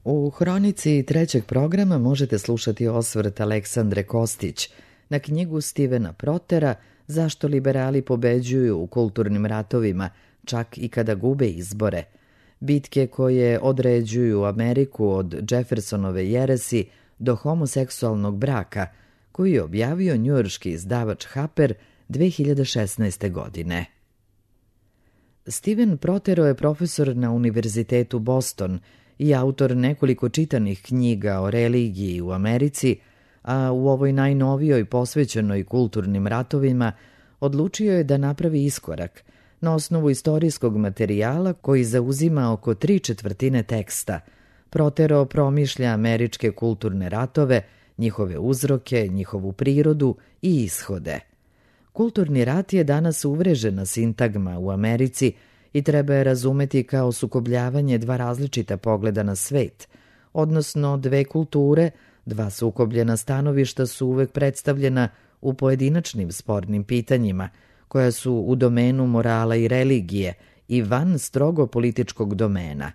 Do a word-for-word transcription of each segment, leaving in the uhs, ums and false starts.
U hronici trećeg programa možete slušati osvrt Aleksandre Kostić na knjigu Stevena Protera Zašto liberali pobeđuju u kulturnim ratovima, čak i kada gube izbore. Bitke koje određuju Ameriku od Jeffersonove jeresi do homoseksualnog braka, koji je objavio njujorški izdavač Harper dve hiljade šesnaeste. godine. Steven Protero je profesor na Univerzitetu Boston i autor nekoliko čitanih knjiga o religiji u Americi, a u ovoj najnovijoj posvećenoj kulturnim ratovima odlučio je da napravi iskorak na osnovu istorijskog materijala koji zauzima oko tri četvrtine teksta. Protero promišlja američke kulturne ratove, njihove uzroke, njihovu prirodu i ishode. Kulturni rat je danas uvrežena sintagma u Americi i treba je razumeti kao sukobljavanje dva različita pogleda na svet, odnosno dve kulture, dva sukobljena stanovišta su uvek predstavljena u pojedinačnim spornim pitanjima, koja su u domenu morala i religije i van strogo političkog domena.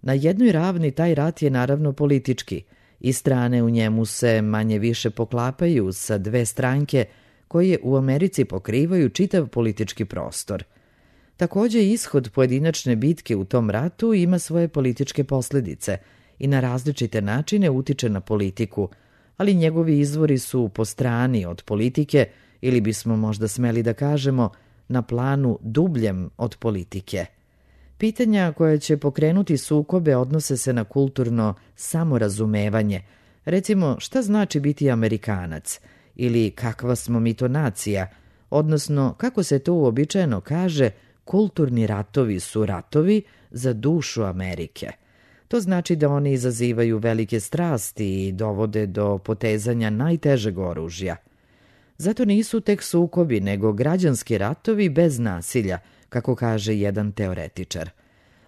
Na jednoj ravni taj rat je naravno politički i strane u njemu se manje više poklapaju sa dve stranke koje u Americi pokrivaju čitav politički prostor. Takođe, ishod pojedinačne bitke u tom ratu ima svoje političke posledice i na različite načine utiče na politiku, ali njegovi izvori su po strani od politike ili bismo možda smeli da kažemo na planu dubljem od politike. Pitanja koja će pokrenuti sukobe odnose se na kulturno samorazumevanje. Recimo, šta znači biti Amerikanac ili kakva smo mi to nacija, odnosno kako se to uobičajeno kaže, kulturni ratovi su ratovi za dušu Amerike. To znači da oni izazivaju velike strasti i dovode do potezanja najtežeg oružja. Zato nisu tek sukobi, nego građanski ratovi bez nasilja, kako kaže jedan teoretičar.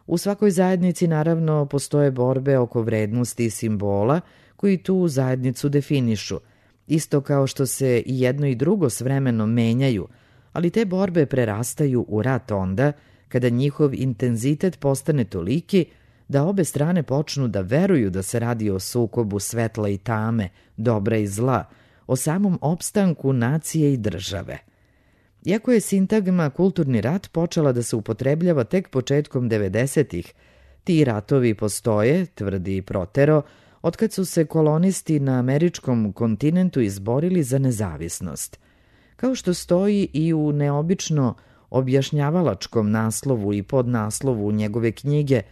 U svakoj zajednici naravno postoje borbe oko vrednosti i simbola koji tu zajednicu definišu, isto kao što se i jedno i drugo s vremenom menjaju, ali te borbe prerastaju u rat onda kada njihov intenzitet postane toliki da obe strane počnu da veruju da se radi o sukobu svetla i tame, dobra i zla, o samom opstanku nacije i države. Iako je sintagma kulturni rat počela da se upotrebljava tek početkom devedesetih, ti ratovi postoje, tvrdi Protero, otkad su se kolonisti na američkom kontinentu izborili za nezavisnost. Kao što stoji i u neobično objašnjavalačkom naslovu i podnaslovu njegove knjige,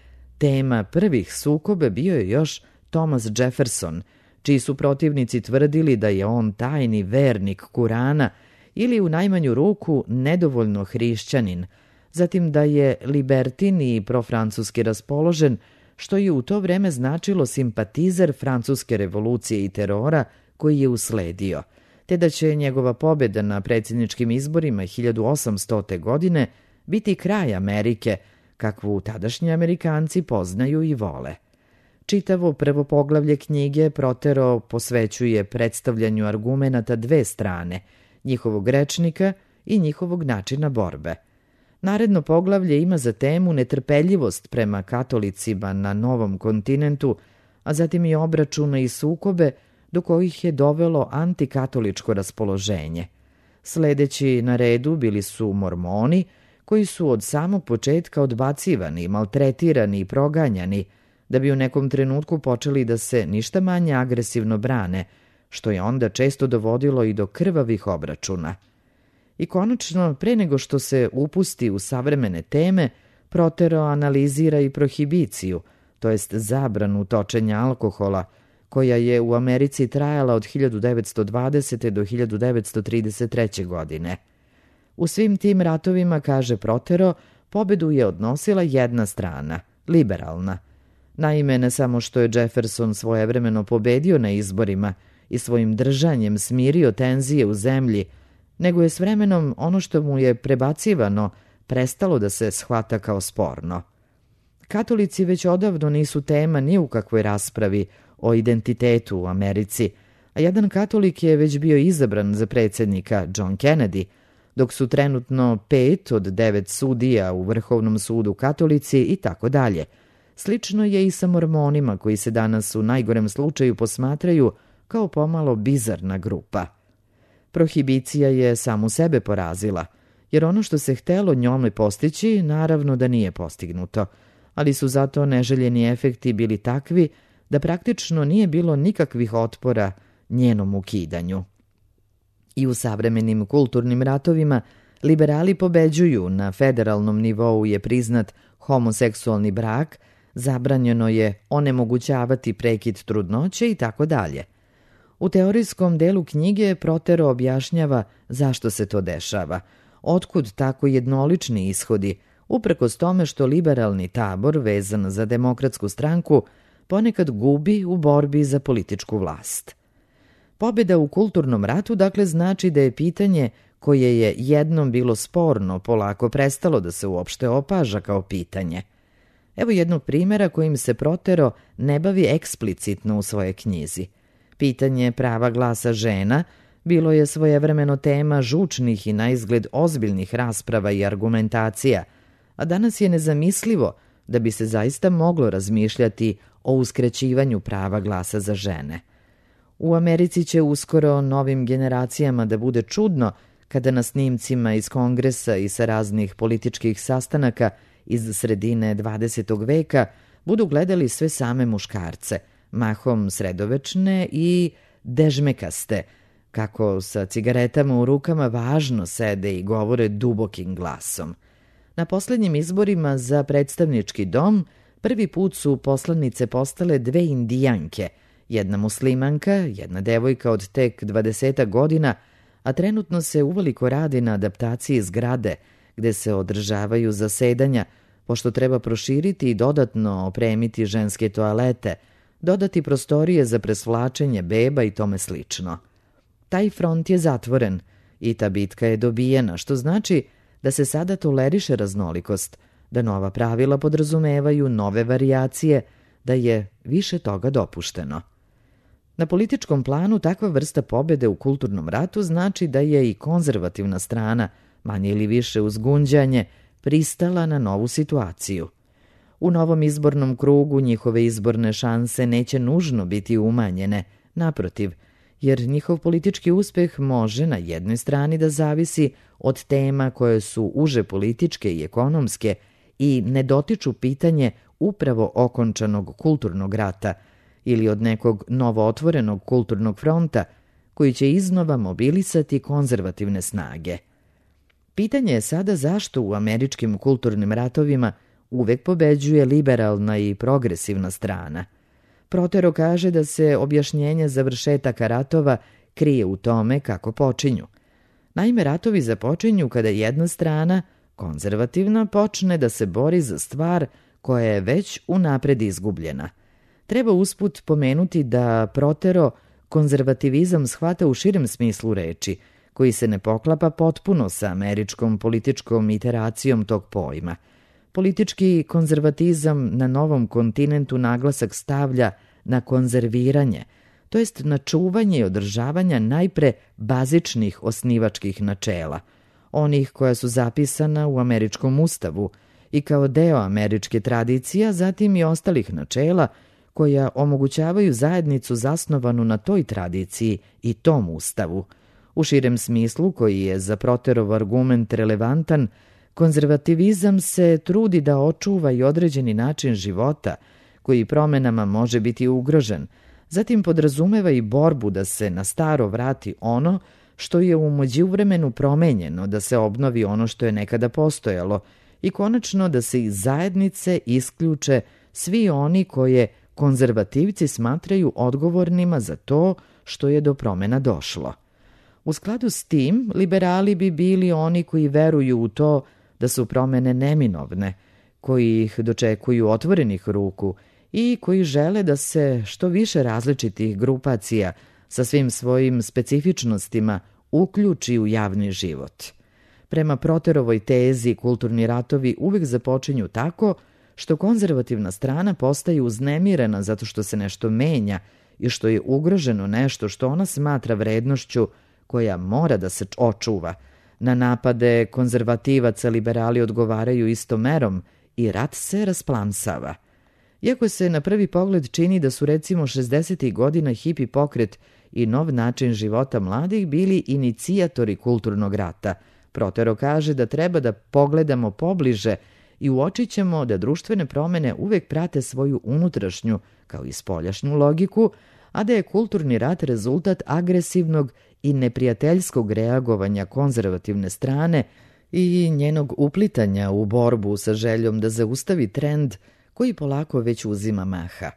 tema prvih sukoba bio je još Thomas Jefferson, čiji su protivnici tvrdili da je on tajni vernik Kurana ili u najmanju ruku nedovoljno hrišćanin, zatim da je libertin i profrancuski raspoložen, što je u to vreme značilo simpatizer francuske revolucije i terora koji je usledio, te da će njegova pobjeda na predsjedničkim izborima hiljadu osamstote. godine biti kraj Amerike, kakvu tadašnji Amerikanci poznaju i vole. Čitavo prvo poglavlje knjige Protero posvećuje predstavljanju argumenata dve strane, njihovog rečnika i njihovog načina borbe. Naredno poglavlje ima za temu netrpeljivost prema katolicima na novom kontinentu, a zatim i obračune i sukobe do kojih je dovelo antikatoličko raspoloženje. Sledeći na redu bili su mormoni, koji su od samog početka odbacivani, maltretirani i proganjani, da bi u nekom trenutku počeli da se ništa manje agresivno brane, što je onda često dovodilo i do krvavih obračuna. I konačno, pre nego što se upusti u savremene teme, Protero analizira i prohibiciju, to jest zabranu točenja alkohola, koja je u Americi trajala od hiljadu devetsto dvadesete. do hiljadu devetsto trideset treće. godine. U svim tim ratovima, kaže Protero, pobedu je odnosila jedna strana, liberalna. Naime, ne samo što je Jefferson svojevremeno pobedio na izborima i svojim držanjem smirio tenzije u zemlji, nego je s vremenom ono što mu je prebacivano prestalo da se shvata kao sporno. Katolici već odavno nisu tema ni u kakvoj raspravi o identitetu u Americi, a jedan katolik je već bio izabran za predsjednika, John Kennedy, dok su trenutno pet od devet sudija u Vrhovnom sudu katolici i tako dalje. Slično je i sa Mormonima koji se danas u najgorem slučaju posmatraju kao pomalo bizarna grupa. Prohibicija je samu sebe porazila, jer ono što se htelo njome postići naravno da nije postignuto, ali su zato neželjeni efekti bili takvi da praktično nije bilo nikakvih otpora njenom ukidanju. I u savremenim kulturnim ratovima liberali pobeđuju, na federalnom nivou je priznat homoseksualni brak, zabranjeno je onemogućavati prekid trudnoće i tako dalje. U teorijskom delu knjige Protero objašnjava zašto se to dešava, otkud tako jednolični ishodi, uprkos tome što liberalni tabor, vezan za demokratsku stranku, ponekad gubi u borbi za političku vlast. Pobjeda u kulturnom ratu dakle znači da je pitanje koje je jednom bilo sporno polako prestalo da se uopšte opaža kao pitanje. Evo jednog primjera kojim se Protero ne bavi eksplicitno u svojoj knjizi. Pitanje prava glasa žena bilo je svojevremeno tema žučnih i naizgled ozbiljnih rasprava i argumentacija, a danas je nezamislivo da bi se zaista moglo razmišljati o uskraćivanju prava glasa za žene. U Americi će uskoro novim generacijama da bude čudno kada na snimcima iz kongresa i sa raznih političkih sastanaka iz sredine dvadesetog veka budu gledali sve same muškarce, mahom sredovečne i dežmekaste, kako sa cigaretama u rukama važno sede i govore dubokim glasom. Na posljednjim izborima za predstavnički dom prvi put su poslanice postale dve indijanke, jedna muslimanka, jedna devojka od tek dvadesetak godina, a trenutno se uveliko radi na adaptaciji zgrade gde se održavaju zasedanja, pošto treba proširiti i dodatno opremiti ženske toalete, dodati prostorije za presvlačenje beba i tome slično. Taj front je zatvoren i ta bitka je dobijena, što znači da se sada toleriše raznolikost, da nova pravila podrazumevaju nove varijacije, da je više toga dopušteno. Na političkom planu takva vrsta pobjede u kulturnom ratu znači da je i konzervativna strana, manje ili više uz gunđanje, pristala na novu situaciju. U novom izbornom krugu njihove izborne šanse neće nužno biti umanjene, naprotiv, jer njihov politički uspeh može na jednoj strani da zavisi od tema koje su uže političke i ekonomske i ne dotiču pitanje upravo okončanog kulturnog rata ili od nekog novootvorenog kulturnog fronta koji će iznova mobilisati konzervativne snage. Pitanje je sada zašto u američkim kulturnim ratovima uvek pobeđuje liberalna i progresivna strana. Protero kaže da se objašnjenje završetaka ratova krije u tome kako počinju. Naime, ratovi započinju kada jedna strana, konzervativna, počne da se bori za stvar koja je već unapred izgubljena. Treba usput pomenuti da Protero konzervativizam shvata u širem smislu reči, koji se ne poklapa potpuno sa američkom političkom iteracijom tog pojma. Politički konzervatizam na novom kontinentu naglasak stavlja na konzerviranje, to jest na čuvanje i održavanje najpre bazičnih osnivačkih načela, onih koja su zapisana u američkom ustavu i kao deo američke tradicije, a zatim i ostalih načela koja omogućavaju zajednicu zasnovanu na toj tradiciji i tom ustavu. U širem smislu, koji je za Proterov argument relevantan, konzervativizam se trudi da očuva i određeni način života, koji promenama može biti ugrožen, zatim podrazumeva i borbu da se na staro vrati ono što je u međuvremenu promenjeno, da se obnovi ono što je nekada postojalo i konačno da se iz zajednice isključe svi oni koje konzervativci smatraju odgovornima za to što je do promena došlo. U skladu s tim, liberali bi bili oni koji veruju u to da su promene neminovne, koji ih dočekuju otvorenih ruku i koji žele da se što više različitih grupacija sa svim svojim specifičnostima uključi u javni život. Prema Proterovoj tezi, kulturni ratovi uvek započinju tako što konzervativna strana postaje uznemirena zato što se nešto menja i što je ugroženo nešto što ona smatra vrednošću koja mora da se očuva. Na napade konzervativaca liberali odgovaraju istom merom i rat se rasplamsava. Iako se na prvi pogled čini da su recimo šezdesetih godina hipi pokret i nov način života mladih bili inicijatori kulturnog rata, Protero kaže da treba da pogledamo pobliže i uočit ćemo da društvene promene uvek prate svoju unutrašnju, kao i spoljašnju logiku, a da je kulturni rat rezultat agresivnog i neprijateljskog reagovanja konzervativne strane i njenog uplitanja u borbu sa željom da zaustavi trend koji polako već uzima maha.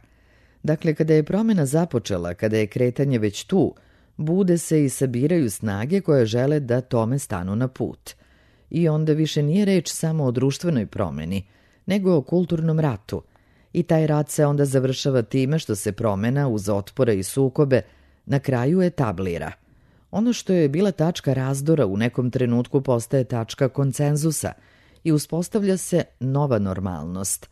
Dakle, kada je promjena započela, kada je kretanje već tu, bude se i sabiraju snage koje žele da tome stanu na put. I onda više nije reč samo o društvenoj promjeni, nego o kulturnom ratu. I taj rat se onda završava time što se promjena uz otpore i sukobe na kraju etablira. Ono što je bila tačka razdora u nekom trenutku postaje tačka konsenzusa i uspostavlja se nova normalnost.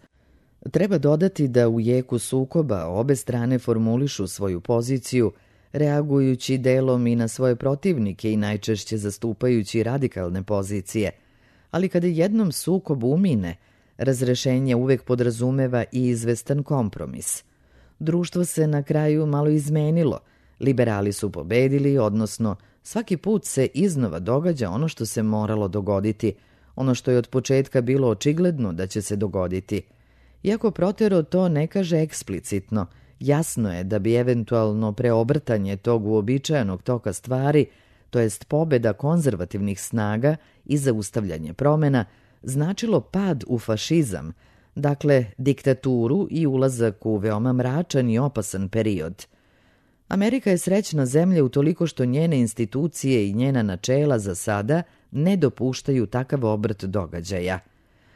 Treba dodati da u jeku sukoba obe strane formulišu svoju poziciju, reagujući delom i na svoje protivnike i najčešće zastupajući radikalne pozicije. Ali kada jednom sukob umine, razrešenje uvek podrazumeva i izvestan kompromis. Društvo se na kraju malo izmenilo, liberali su pobedili, odnosno svaki put se iznova događa ono što se moralo dogoditi, ono što je od početka bilo očigledno da će se dogoditi. Iako Protero to ne kaže eksplicitno, jasno je da bi eventualno preobrtanje tog uobičajenog toka stvari, to jest pobeda konzervativnih snaga i zaustavljanje promjena, značilo pad u fašizam, dakle diktaturu i ulazak u veoma mračan i opasan period. Amerika je srećna zemlja utoliko što njene institucije i njena načela za sada ne dopuštaju takav obrt događaja.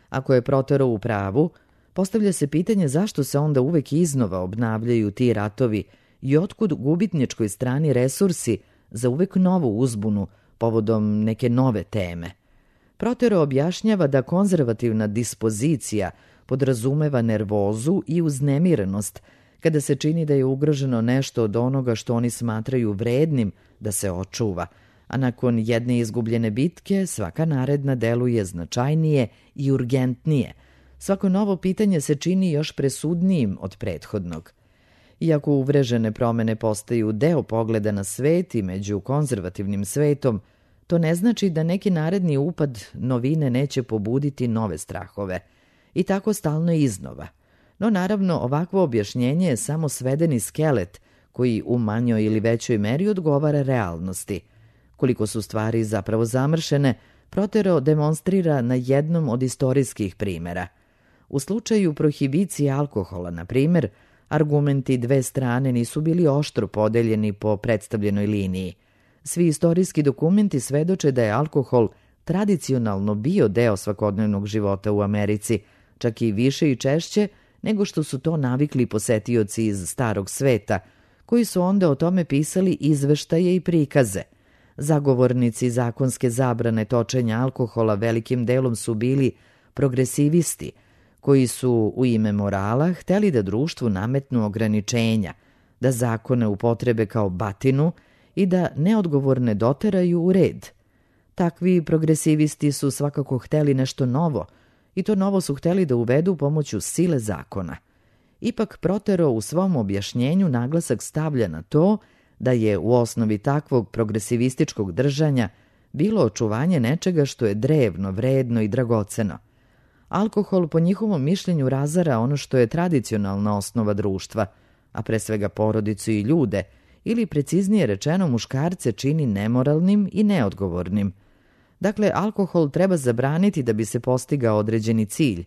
Ako je Protero u pravu, postavlja se pitanje zašto se onda uvek iznova obnavljaju ti ratovi i otkud gubitničkoj strani resursi za uvek novu uzbunu povodom neke nove teme. Protero objašnjava da konzervativna dispozicija podrazumeva nervozu i uznemirenost kada se čini da je ugroženo nešto od onoga što oni smatraju vrednim da se očuva, a nakon jedne izgubljene bitke svaka naredna deluje značajnije i urgentnije. Svako novo pitanje se čini još presudnijim od prethodnog. Iako uvrežene promene postaju deo pogleda na svet i među konzervativnim svetom, to ne znači da neki naredni upad novine neće pobuditi nove strahove. I tako stalno iznova. No naravno, ovakvo objašnjenje je samo svedeni skelet koji u manjoj ili većoj meri odgovara realnosti. Koliko su stvari zapravo zamršene, Protero demonstrira na jednom od istorijskih primera. U slučaju prohibicije alkohola, na primjer, argumenti dve strane nisu bili oštro podeljeni po predstavljenoj liniji. Svi istorijski dokumenti svedoče da je alkohol tradicionalno bio deo svakodnevnog života u Americi, čak i više i češće nego što su to navikli posetioci iz starog sveta, koji su onda o tome pisali izveštaje i prikaze. Zagovornici zakonske zabrane točenja alkohola velikim delom su bili progresivisti, koji su u ime morala hteli da društvu nametnu ograničenja, da zakone upotrebe kao batinu i da neodgovorne doteraju u red. Takvi progresivisti su svakako hteli nešto novo, i to novo su hteli da uvedu pomoću sile zakona. Ipak Protero u svom objašnjenju naglasak stavlja na to da je u osnovi takvog progresivističkog držanja bilo očuvanje nečega što je drevno, vredno i dragoceno. Alkohol po njihovom mišljenju razara ono što je tradicionalna osnova društva, a pre svega porodicu i ljude, ili preciznije rečeno muškarce čini nemoralnim i neodgovornim. Dakle, alkohol treba zabraniti da bi se postigao određeni cilj,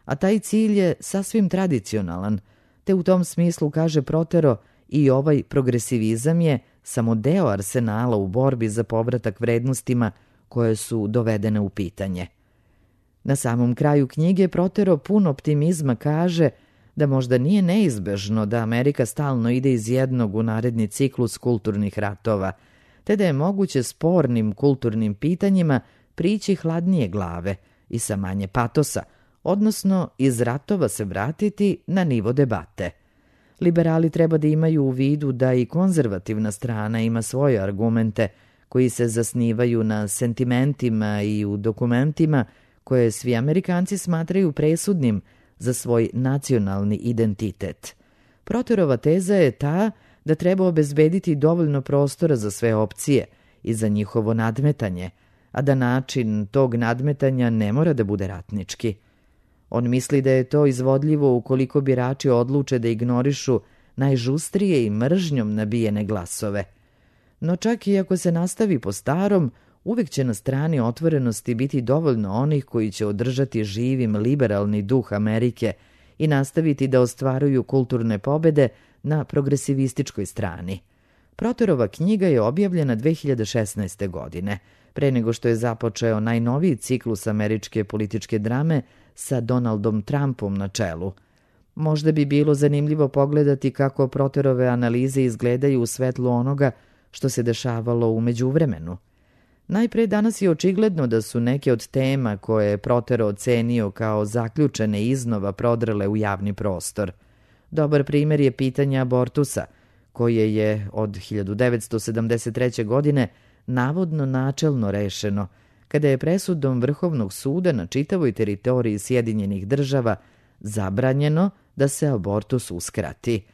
a taj cilj je sasvim tradicionalan, te u tom smislu, kaže Protero, i ovaj progresivizam je samo deo arsenala u borbi za povratak vrednostima koje su dovedene u pitanje. Na samom kraju knjige Protero pun optimizma kaže da možda nije neizbežno da Amerika stalno ide iz jednog u naredni ciklus kulturnih ratova, te da je moguće spornim kulturnim pitanjima prići hladnije glave i sa manje patosa, odnosno iz ratova se vratiti na nivo debate. Liberali treba da imaju u vidu da i konzervativna strana ima svoje argumente koji se zasnivaju na sentimentima i u dokumentima koje svi Amerikanci smatraju presudnim za svoj nacionalni identitet. Proterova teza je ta da treba obezbediti dovoljno prostora za sve opcije i za njihovo nadmetanje, a da način tog nadmetanja ne mora da bude ratnički. On misli da je to izvodljivo ukoliko birači odluče da ignorišu najžustrije i mržnjom nabijene glasove. No čak i ako se nastavi po starom, uvek će na strani otvorenosti biti dovoljno onih koji će održati živim liberalni duh Amerike i nastaviti da ostvaruju kulturne pobede na progresivističkoj strani. Proterova knjiga je objavljena dve hiljade šesnaeste. godine, pre nego što je započeo najnoviji ciklus američke političke drame sa Donaldom Trumpom na čelu. Možda bi bilo zanimljivo pogledati kako Proterove analize izgledaju u svetlu onoga što se dešavalo u međuvremenu. Najpre danas je očigledno da su neke od tema koje je Protero ocenio kao zaključene iznova prodrle u javni prostor. Dobar primer je pitanje abortusa, koje je od hiljadu devetsto sedamdeset treće. godine navodno načelno rešeno, kada je presudom Vrhovnog suda na čitavoj teritoriji Sjedinjenih država zabranjeno da se abortus uskrati.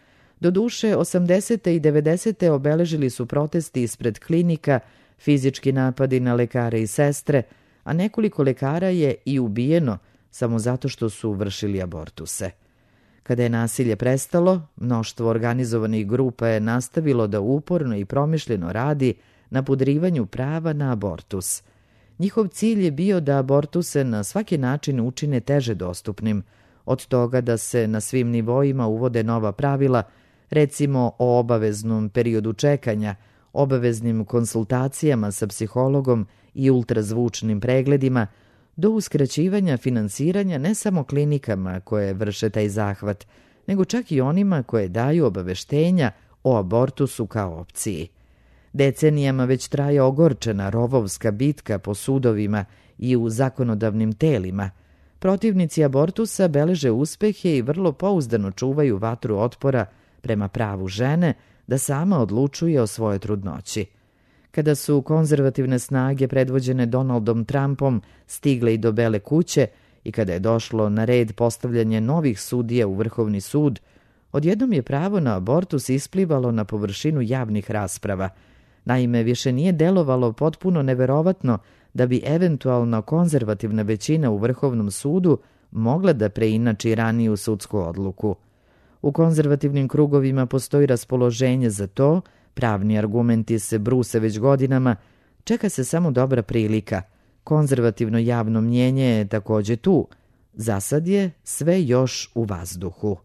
Doduše, osamdesete i devedesete obeležili su protesti ispred klinika, fizički napadi na lekare i sestre, a nekoliko lekara je i ubijeno samo zato što su vršili abortuse. Kada je nasilje prestalo, mnoštvo organizovanih grupa je nastavilo da uporno i promišljeno radi na podrivanju prava na abortus. Njihov cilj je bio da abortuse na svaki način učine teže dostupnim, od toga da se na svim nivoima uvode nova pravila, recimo o obaveznom periodu čekanja, obaveznim konsultacijama sa psihologom i ultrazvučnim pregledima, do uskraćivanja finansiranja ne samo klinikama koje vrše taj zahvat, nego čak i onima koje daju obaveštenja o abortusu kao opciji. Decenijama već traje ogorčena rovovska bitka po sudovima i u zakonodavnim telima. Protivnici abortusa beleže uspehe i vrlo pouzdano čuvaju vatru otpora prema pravu žene da sama odlučuje o svojoj trudnoći. Kada su konzervativne snage predvođene Donaldom Trumpom stigle i do Bele kuće i kada je došlo na red postavljanje novih sudija u Vrhovni sud, odjednom je pravo na abortus isplivalo na površinu javnih rasprava. Naime, više nije delovalo potpuno neverovatno da bi eventualno konzervativna većina u Vrhovnom sudu mogla da preinači raniju sudsku odluku. U konzervativnim krugovima postoji raspoloženje za to, pravni argumenti se bruse već godinama, čeka se samo dobra prilika. Konzervativno javno mnjenje je takođe tu. Za sad je sve još u vazduhu.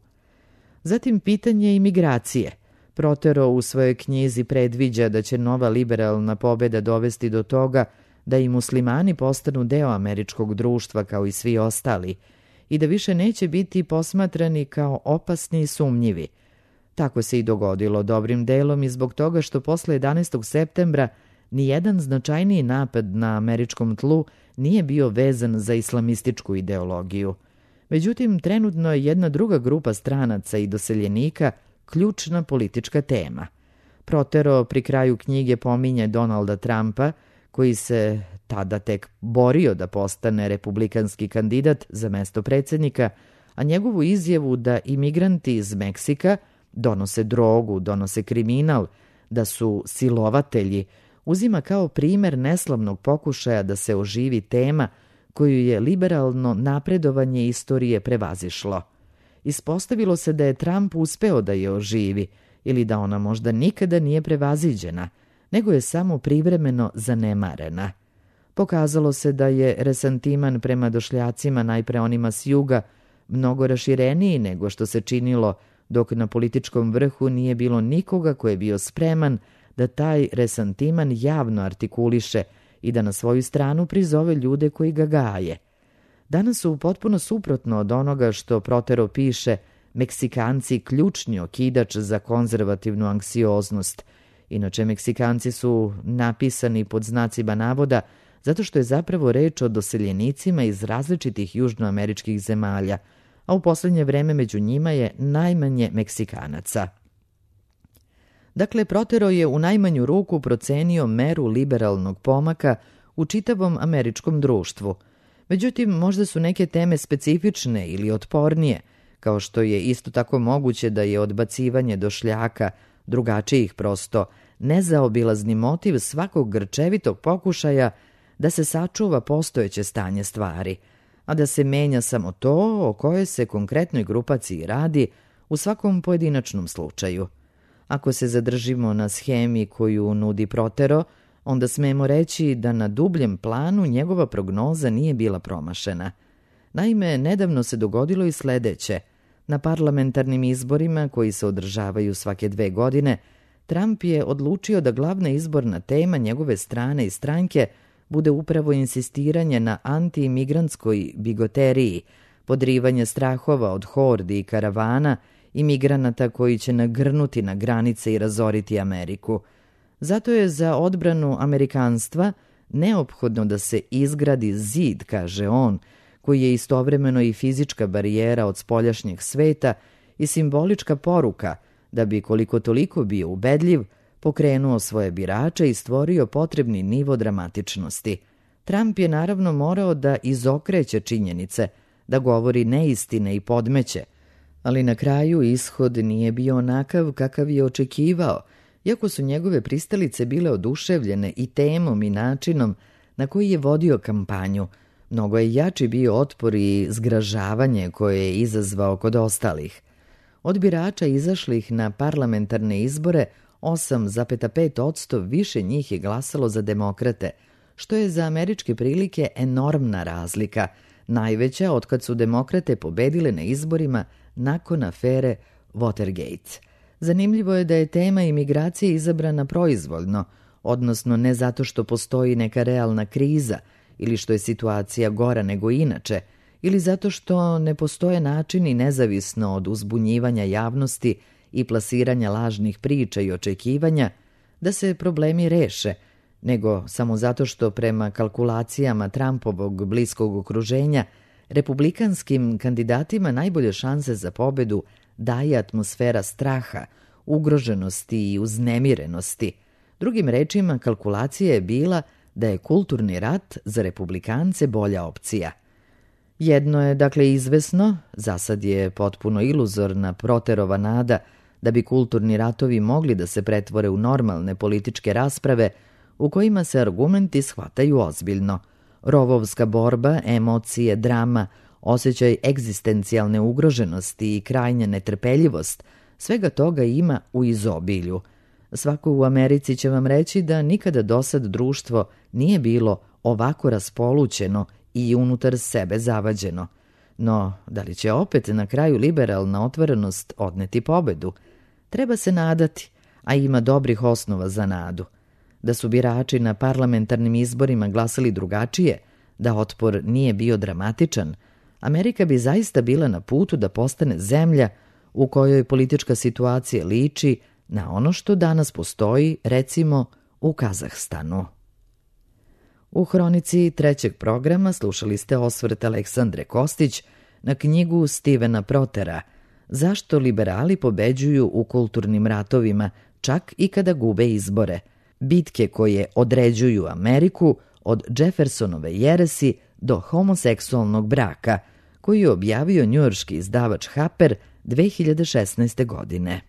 Zatim pitanje imigracije. Protero u svojoj knjizi predviđa da će nova liberalna pobeda dovesti do toga da i muslimani postanu deo američkog društva kao i svi ostali i da više neće biti posmatrani kao opasni i sumnjivi. Tako se i dogodilo dobrim delom i zbog toga što posle jedanaestog septembra nijedan značajniji napad na američkom tlu nije bio vezan za islamističku ideologiju. Međutim, trenutno je jedna druga grupa stranaca i doseljenika ključna politička tema. Protero pri kraju knjige pominje Donalda Trumpa, koji se tada tek borio da postane republikanski kandidat za mesto predsjednika, a njegovu izjavu da imigranti iz Meksika donose drogu, donose kriminal, da su silovatelji, uzima kao primer neslavnog pokušaja da se oživi tema koju je liberalno napredovanje istorije prevazišlo. Ispostavilo se da je Trump uspeo da je oživi ili da ona možda nikada nije prevaziđena, nego je samo privremeno zanemarena. Pokazalo se da je resantiman prema došljacima, najpre onima s juga, mnogo rašireniji nego što se činilo, dok na političkom vrhu nije bilo nikoga ko je bio spreman da taj resantiman javno artikuliše i da na svoju stranu prizove ljude koji ga gaje. Danas su potpuno suprotno od onoga što Protero piše Meksikanci ključni okidač za konzervativnu anksioznost. Inače, Meksikanci su napisani pod znacima navoda zato što je zapravo reč o doseljenicima iz različitih južnoameričkih zemalja, a u poslednje vreme među njima je najmanje Meksikanaca. Dakle, Protero je u najmanju ruku procenio meru liberalnog pomaka u čitavom američkom društvu. Međutim, možda su neke teme specifične ili otpornije, kao što je isto tako moguće da je odbacivanje došljaka drugačijih prosto nezaobilazni motiv svakog grčevitog pokušaja da se sačuva postojeće stanje stvari, a da se menja samo to o kojoj se konkretnoj grupaciji radi u svakom pojedinačnom slučaju. Ako se zadržimo na schemi koju nudi Protero, onda smemo reći da na dubljem planu njegova prognoza nije bila promašena. Naime, nedavno se dogodilo i sledeće. Na parlamentarnim izborima, koji se održavaju svake dve godine, Trump je odlučio da glavna izborna tema njegove strane i stranke bude upravo insistiranje na anti-imigrantskoj bigoteriji, podrivanje strahova od hordi i karavana imigranata koji će nagrnuti na granice i razoriti Ameriku. Zato je za odbranu amerikanstva neophodno da se izgradi zid, kaže on, koji je istovremeno i fizička barijera od spoljašnjeg sveta i simbolička poruka da bi koliko toliko bio ubedljiv, pokrenuo svoje birače i stvorio potrebni nivo dramatičnosti. Trump je naravno morao da izokreće činjenice, da govori neistine i podmeće, ali na kraju ishod nije bio onakav kakav je očekivao, iako su njegove pristalice bile oduševljene i temom i načinom na koji je vodio kampanju. Mnogo je jači bio otpor i zgražavanje koje je izazvao kod ostalih. Od birača izašlih na parlamentarne izbore osam zarez pet posto više njih je glasalo za demokrate, što je za američke prilike enormna razlika, najveća otkad su demokrate pobedile na izborima nakon afere Watergate. Zanimljivo je da je tema imigracije izabrana proizvoljno, odnosno ne zato što postoji neka realna kriza ili što je situacija gora nego inače, ili zato što ne postoje načini nezavisno od uzbunjivanja javnosti i plasiranja lažnih priča i očekivanja da se problemi reše, nego samo zato što prema kalkulacijama Trumpovog bliskog okruženja republikanskim kandidatima najbolje šanse za pobedu daje atmosfera straha, ugroženosti i uznemirenosti. Drugim rečima, kalkulacija je bila da je kulturni rat za republikance bolja opcija. Jedno je dakle izvesno, zasad je potpuno iluzorna Proterova nada da bi kulturni ratovi mogli da se pretvore u normalne političke rasprave u kojima se argumenti shvataju ozbiljno. Rovovska borba, emocije, drama, osjećaj egzistencijalne ugroženosti i krajnja netrpeljivost, svega toga ima u izobilju. Svako u Americi će vam reći da nikada dosad društvo nije bilo ovako raspolućeno i unutar sebe zavađeno. No, da li će opet na kraju liberalna otvorenost odneti pobedu? Treba se nadati, a ima dobrih osnova za nadu. Da su birači na parlamentarnim izborima glasali drugačije, da otpor nije bio dramatičan, Amerika bi zaista bila na putu da postane zemlja u kojoj politička situacija liči na ono što danas postoji, recimo, u Kazahstanu. U hronici trećeg programa slušali ste osvrt Aleksandre Kostić na knjigu Stevena Protera Zašto liberali pobeđuju u kulturnim ratovima, čak i kada gube izbore. Bitke koje određuju Ameriku od Jeffersonove jeresi do homoseksualnog braka, koji je objavio njujorški izdavač Harper dve hiljade šesnaeste godine.